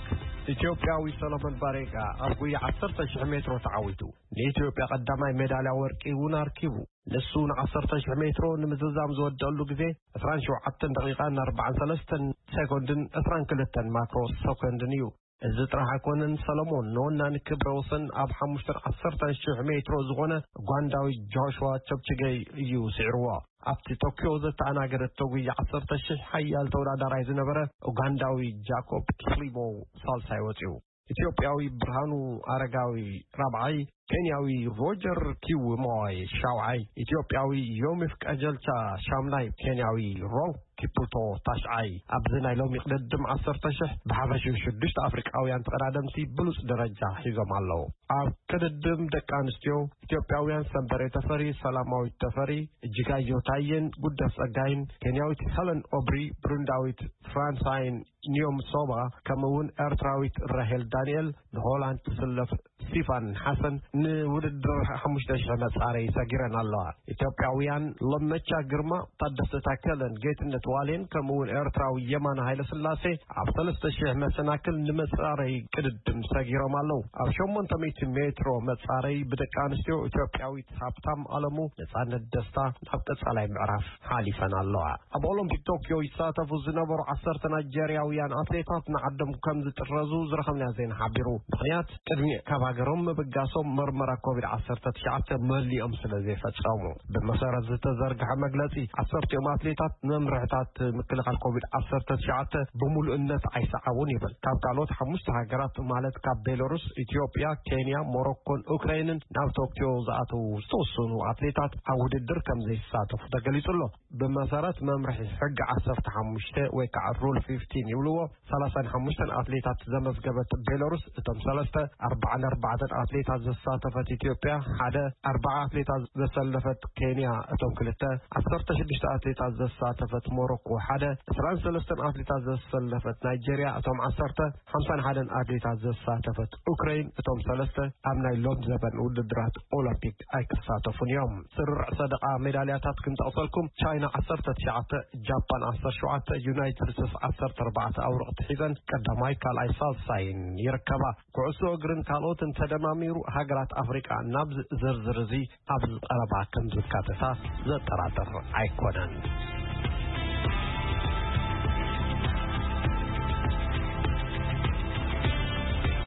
ኢትዮጵያዊ ሰሎሞን ባሬጋ ኣብ ጉያ ዓሰርተ ሺሕ ሜትሮ ተዓዊቱ። ንኢትዮጵያ ቀዳማይ ሜዳልያ ወርቂ እውን ኣርኪቡ። ንሱ ንዓሰርተ ሺሕ ሜትሮ ንምዝዛም ዝወደአሉ ግዜ ዕስራን ሸውዓተን ደቂቓን ኣርባዓን ሰለስተን ሴኮንድን ዕስራን ክልተን ማክሮ ሴኮንድን እዩ። እዚ ጥራሕ ኣይኮነን፣ ሰለሞን ንወናኒ ክብረ ወሰን ኣብ ሓሙሽተን ዓሰርተን ሺሕ ሜትሮ ዝኾነ ኡጋንዳዊ ጆሽዋ ቸፕችገይ እዩ ስዒርዎ። ኣብቲ ቶክዮ ዘተኣናገደቶ ጉያ ዓሰርተ ሺሕ ሓያል ተወዳዳራይ ዝነበረ ኡጋንዳዊ ጃኮብ ኪፕሊሞ ሳልሳይ ወፂኡ። ኢትዮጵያዊ ብርሃኑ ኣረጋዊ ራብዓይ፣ ኬንያዊ ሮጀር ኪውሞይ ሻውዓይ፣ ኢትዮጵያዊ ዮሚፍ ቀጀልቻ ሻምናይ፣ ኬንያዊ ሮንግ ኪፑቶ ታሽዓይ። ኣብዚ ናይ ሎሚ ቅድድም ዓሰርተ ሺሕ ብሓፈሽኡ ሽዱሽተ ኣፍሪቃውያን ተቐዳደምቲ ብሉጽ ደረጃ ሒዞም ኣለዉ። ኣብ ቅድድም ደቂ ኣንስትዮ ኢትዮጵያውያን ሰንበሬ ተፈሪ፣ ሰላማዊት ተፈሪ፣ እጅጋዮ ታየን ጉደፍ ጸጋይን፣ ኬንያዊት ሄለን ኦብሪ፣ ብሩንዳዊት ፍራንሳይን ኒዮም ሶባ፣ ከምኡ እውን ኤርትራዊት ራሄል ዳንኤል፣ ንሆላንድ ትስለፍ ስቲፋን ሓሰን ንውድድር ሓሙሽተ ሺሕ መጻረይ ሰጊረን ኣለዋ። ኢትዮጵያውያን ለመቻ ግርማ፣ ታደሰ ታከለን ጌትነት ዋሌን፣ ከምኡ እውን ኤርትራዊ የማነ ሃይለስላሴ ኣብ ሰለስተ ሺሕ መሰናክል ንመጻረይ ቅድድም ሰጊሮም ኣለዉ። ኣብ ሸሞንተ ሚእቲ ሜትሮ መጻረይ ብደቂ ኣንስትዮ ኢትዮጵያዊት ሃብታም ኣለሙ፣ ነጻነት ደስታ ናብ ቀጻላይ ምዕራፍ ሓሊፈን ኣለዋ። ኣብ ኦሎምፒክ ቶክዮ ይሳተፉ ዝነበሩ ዓሰርተ ናይጀርያውያን ኣትሌታት ንዓዶም ከም ዝጥረዙ ዝረኸብናዮ ዜና ሓቢሩ። ምኽንያት፣ ቅድሚ ካብ ሃገሮም ምብጋሶም መርመራ ኮቪድ ዓሰርተ ትሽዓተ መሊኦም ስለ ዘይፈጸሙ። ብመሰረት ዝተዘርግሐ መግለጺ፣ ዓሰርቲኦም ኣትሌታት መምርሕታት ምክልኻል ኮቪድ ዓሰርተ ትሽዓተ ብምሉእነት ኣይሰዓቡን ይብል። ካብ ካልኦት ሓሙሽተ ሃገራት፣ ማለት ካብ ቤላሩስ፣ ኢትዮጵያ፣ ኬንያ፣ ሞሮኮን ኡክራይንን ናብ ቶክዮ ዝኣተዉ ዝተወሰኑ ኣትሌታት ኣብ ውድድር ከም ዘይሳተፉ ተገሊጹ ኣሎ። ብመሰረት መምርሒ ሕጊ ዓሰርተ ሓሙሽተ ወይ ከዓ ሩል ፊፍቲን ይብልዎ፣ ሰላሳን ሓሙሽተን ኣትሌታት ዘመዝገበት ቤላሩስ፣ እቶም ሰለስተ፣ ኣርባዓን ኣርባዕተን ኣትሌታት ዘሳተፈት ኢትዮጵያ፣ ሓደ፣ ኣርባዓ ኣትሌታት ዘሰለፈት ኬንያ፣ እቶም ክልተ፣ ዓሰርተ ሽዱሽተ ኣትሌታት ዘሳተፈት ሞሮኮ፣ ሓደ፣ ዕስራን ሰለስተን ኣትሌታት ዘሰለፈት ናይጄርያ፣ እቶም ዓሰርተ፣ ሓምሳን ሓደን ኣትሌታት ዘሳተፈት ኡክረይን፣ እቶም ሰለስተ ኣብ ናይ ሎም ዘበን ውድድራት ኦሎምፒክ ኣይክሳተፉን እዮም። ስርርዕ ሰደቓ ሜዳልያታት ክንጠቕሰልኩም፣ ቻይና ዓሰርተ ትሽዓተ፣ ጃፓን ዓሰርተ ሸውዓተ፣ ዩናይትድ ስቴትስ ዓሰርተ ኣርባዕተ ኣውርቕቲ ሒዘን ቀዳማይ፣ ካልኣይ፣ ሳልሳይን ይርከባ። ኩዕሶ እግርን ካልኦትን ተደማሚሩ ሃገራት ኣፍሪቃ ናብ ዝርዝር እዚ ኣብዚ ቀረባ ከም ዝካተታ ዘጠራጥር ኣይኮነን።